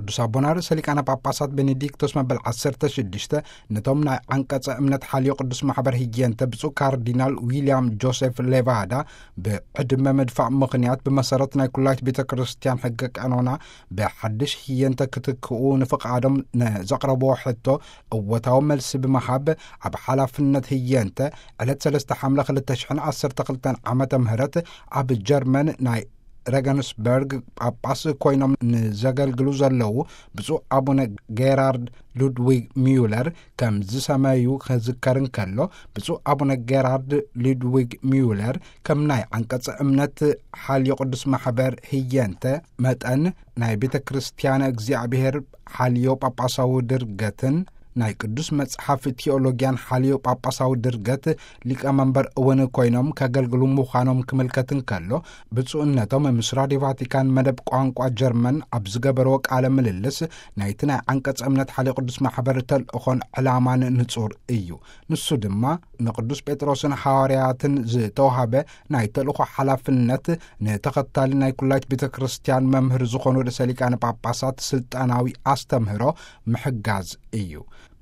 ቅዱስ ኣቦና ርእሰ ሊቃነ ጳጳሳት ቤኔዲክቶስ መበል ዓሰርተ ሽዱሽተ ነቶም ናይ ዓንቀጸ እምነት ሓልዮ ቅዱስ ማሕበር ህየንተ ብፁዕ ካርዲናል ዊልያም ጆሴፍ ሌቫዳ ብዕድመ ምድፋእ ምኽንያት ብመሰረት ናይ ኩላይት ቤተ ክርስቲያን ሕገ ቀኖና ብሓድሽ ህየንተ ክትክኡ ንፍቓዶም ንዘቕረብዎ ሕቶ እወታዊ መልሲ ብምሃብ ኣብ ሓላፍነት ህየንተ ዕለት ሰለስተ ሓምለ ክልተ ሽሕን ዓሰርተ ክልተን ዓመተ ምህረት ኣብ ጀርመን ናይ ረገንስበርግ ጳጳስ ኮይኖም ንዘገልግሉ ዘለዉ ብፁዕ ኣቡነ ጌራርድ ሉድዊግ ሚዩለር ከም ዝሰመዩ ክዝከር እንከሎ፣ ብፁዕ ኣቡነ ጌራርድ ሉድዊግ ሚዩለር ከም ናይ ዓንቀጸ እምነት ሓልዮ ቅዱስ ማሕበር ህየንተ መጠን ናይ ቤተ ክርስቲያን እግዚኣብሔር ሓልዮ ጳጳሳዊ ድርገትን ናይ ቅዱስ መጽሓፍ ቲኦሎጊያን ሓልዮ ጳጳሳዊ ድርገት ሊቀ መንበር እውን ኮይኖም ከገልግሉ ምዃኖም ክምልከት እንከሎ፣ ብፁዕነቶም ምስ ራድዮ ቫቲካን መደብ ቋንቋ ጀርመን ኣብ ዝገበርዎ ቃለ ምልልስ፣ ናይቲ ናይ ዓንቀጸ እምነት ሓልዮ ቅዱስ ማሕበር ተልእኾን ዕላማን ንጹር እዩ። ንሱ ድማ ንቅዱስ ጴጥሮስን ሃዋርያትን ዝተዋህበ ናይ ተልእኾ ሓላፍነት፣ ንተኸታሊ ናይ ኩላይት ቤተ ክርስቲያን መምህር ዝኾኑ ርእሰ ሊቃነ ጳጳሳት ስልጣናዊ ኣስተምህሮ ምሕጋዝ እዩ።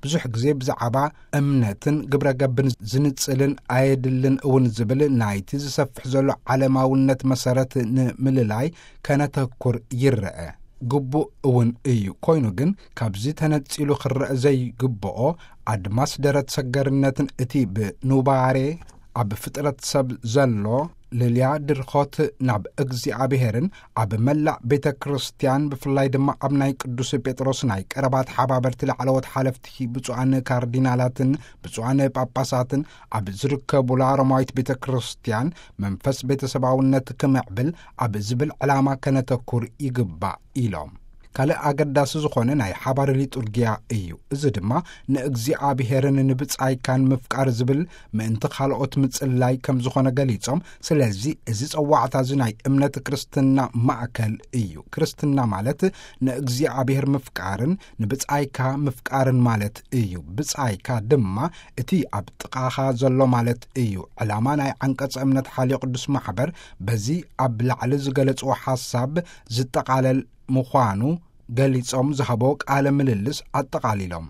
ብዙሕ ግዜ ብዛዕባ እምነትን ግብረ ገብን ዝንጽልን ኣየድልን እውን ዝብል ናይቲ ዝሰፍሕ ዘሎ ዓለማውነት መሰረት ንምልላይ ከነተኩር ይረአ። ግቡእ እውን እዩ። ኮይኑ ግን ካብዚ ተነጺሉ ክረአ ዘይግብኦ ኣድማስ ደረት ሰገርነትን እቲ ብኑባሬ ኣብ ፍጥረት ሰብ ዘሎ ልልያ ድርኾት ናብ እግዚኣብሔርን ኣብ መላእ ቤተ ክርስቲያን ብፍላይ ድማ ኣብ ናይ ቅዱስ ጴጥሮስ ናይ ቀረባ ተሓባበርቲ ላዕለዎት ሓለፍቲ ብፁዓን ካርዲናላትን ብፁዓን ጳጳሳትን ኣብ ዝርከቡላ ሮማዊት ቤተ ክርስቲያን መንፈስ ቤተሰባውነት ክምዕብል ኣብ ዝብል ዕላማ ከነተኩር ይግባእ ኢሎም። ካልእ ኣገዳሲ ዝኾነ ናይ ሓባር ሊጡርጊያ እዩ። እዚ ድማ ንእግዚኣብሔርን ንብጻይካን ምፍቃር ዝብል ምእንቲ ካልኦት ምጽላይ ከም ዝኾነ ገሊጾም፣ ስለዚ እዚ ጸዋዕታ እዚ ናይ እምነት ክርስትና ማእከል እዩ። ክርስትና ማለት ንእግዚኣብሔር ምፍቃርን ንብጻይካ ምፍቃርን ማለት እዩ። ብጻይካ ድማ እቲ ኣብ ጥቓኻ ዘሎ ማለት እዩ። ዕላማ ናይ ዓንቀጸ እምነት ሓልዮ ቅዱስ ማሕበር በዚ ኣብ ላዕሊ ዝገለጽዎ ሓሳብ ዝጠቓለል ምዃኑ ገሊጾም ዝሃቦ ቃለ ምልልስ ኣጠቓሊሎም።